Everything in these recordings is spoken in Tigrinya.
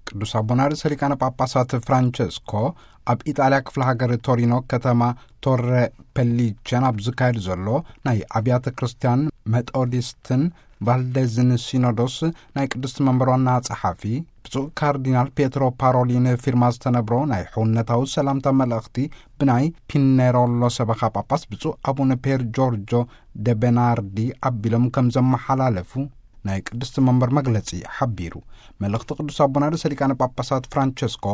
ቅዱስ ኣቦና ርእሰ ሊቃነ ጳጳሳት ፍራንቸስኮ ኣብ ኢጣልያ ክፍለ ሃገር ቶሪኖ ከተማ ቶረ ፐሊቸን ኣብ ዝካየድ ዘሎ ናይ ኣብያተ ክርስቲያን መጦዲስትን ቫልዴዝን ሲኖዶስ ናይ ቅድስቲ መንበር ዋና ጸሓፊ ብፁዕ ካርዲናል ፒየትሮ ፓሮሊን ፊርማ ዝተነብሮ ናይ ሕውነታዊ ሰላምታ መልእኽቲ ብናይ ፒነሮሎ ሰበኻ ጳጳስ ብፁዕ ኣቡነ ፔር ጆርጆ ደ ቤናርዲ ኣቢሎም ከም ዘመሓላለፉ ናይ ቅድስቲ መንበር መግለጺ ሓቢሩ። መልእኽቲ ቅዱስ ኣቦና ርእሰ ሊቃነ ጳጳሳት ፍራንቸስኮ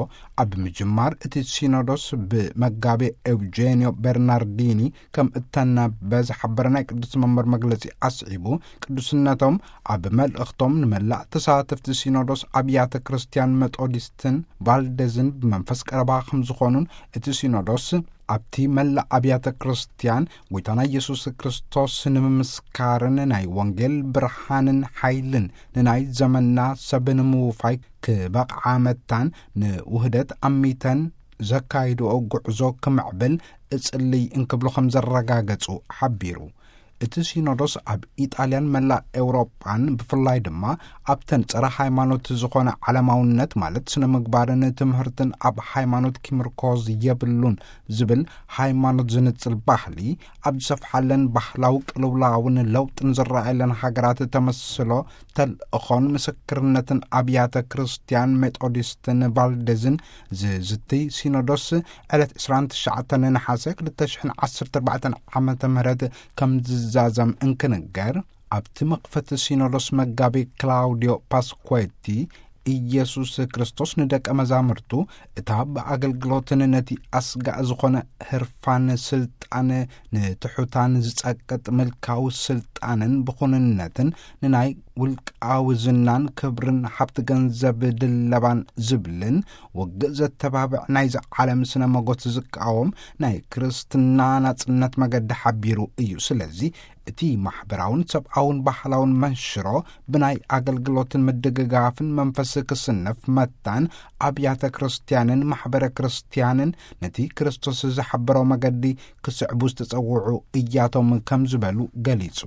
ኣብ ምጅማር እቲ ሲኖዶስ ብመጋቤ ኤውጄኒዮ ቤርናርዲኒ ከም እተነበ ዝሓበረ ናይ ቅድስቲ መንበር መግለጺ ኣስዒቡ፣ ቅዱስነቶም ኣብ መልእኽቶም ንመላእ ተሳተፍቲ ሲኖዶስ ኣብያተ ክርስቲያን መጦዲስትን ቫልዴዝን ብመንፈስ ቀረባ ከም ዝኾኑን እቲ ሲኖዶስ ኣብቲ መላእ ኣብያተ ክርስቲያን ጎይታና ኢየሱስ ክርስቶስ ንምምስካርን ናይ ወንጌል ብርሃንን ሓይልን ንናይ ዘመንና ሰብ ንምውፋይ ክበቕዓ መታን ንውህደት ኣሚተን ዘካይድኦ ጉዕዞ ክምዕብል እጽልይ እንክብሉ ከም ዘረጋገጹ ሓቢሩ። እቲ ሲኖዶስ ኣብ ኢጣልያን መላእ ኤውሮጳን ብፍላይ ድማ ኣብተን ጸረ ሃይማኖት ዝኾነ ዓለማውነት ማለት ስነ ምግባርን ትምህርትን ኣብ ሃይማኖት ኪምርኮዝ የብሉን ዝብል ሃይማኖት ዝንጽል ባህሊ ኣብ ዝሰፍሓለን ባህላዊ ቅልውላውን ለውጥን ዝረኣየለን ሃገራት ተመስሎ ተልእኾን ምስክርነትን ኣብያተ ክርስቲያን ሜጦዲስትን ቫልዴዝን ዝዝትይ ሲኖዶስ ዕለት ዕስራን ትሽዓተን ነሓሰ ክልተ ሽሕን ዓሰርተ ኣርባዕተን ዓመተ ምህረት ከም ዝዛዘም እንክንገር፣ ኣብቲ መኽፈቲ ሲኖዶስ መጋቢ ክላውዲዮ ፓስኩዌቲ ኢየሱስ ክርስቶስ ንደቀ መዛሙርቱ እታ ብኣገልግሎትን ነቲ ኣስጋእ ዝኾነ ህርፋን ስልጣን ንትሑታን ዝጸቅጥ ምልካዊ ስልጣንን ብኹንነትን ንናይ ውልቃዊ ዝናን ክብርን ሃብቲ ገንዘብ ድለባን ዝብልን ውግእ ዘተባብዕ ናይዚ ዓለም ስነ መጎት ዝቃወም ናይ ክርስትና ናጽነት መገዲ ሓቢሩ እዩ። ስለዚ እቲ ማሕበራውን ሰብኣውን ባህላውን መንሽሮ ብናይ ኣገልግሎትን ምድግጋፍን መንፈስ ክስነፍ መታን ኣብያተ ክርስቲያንን ማሕበረ ክርስቲያንን ነቲ ክርስቶስ ዝሓበሮ መገዲ ክስዕቡ ዝተጸውዑ እያቶም ከም ዝበሉ ገሊጹ።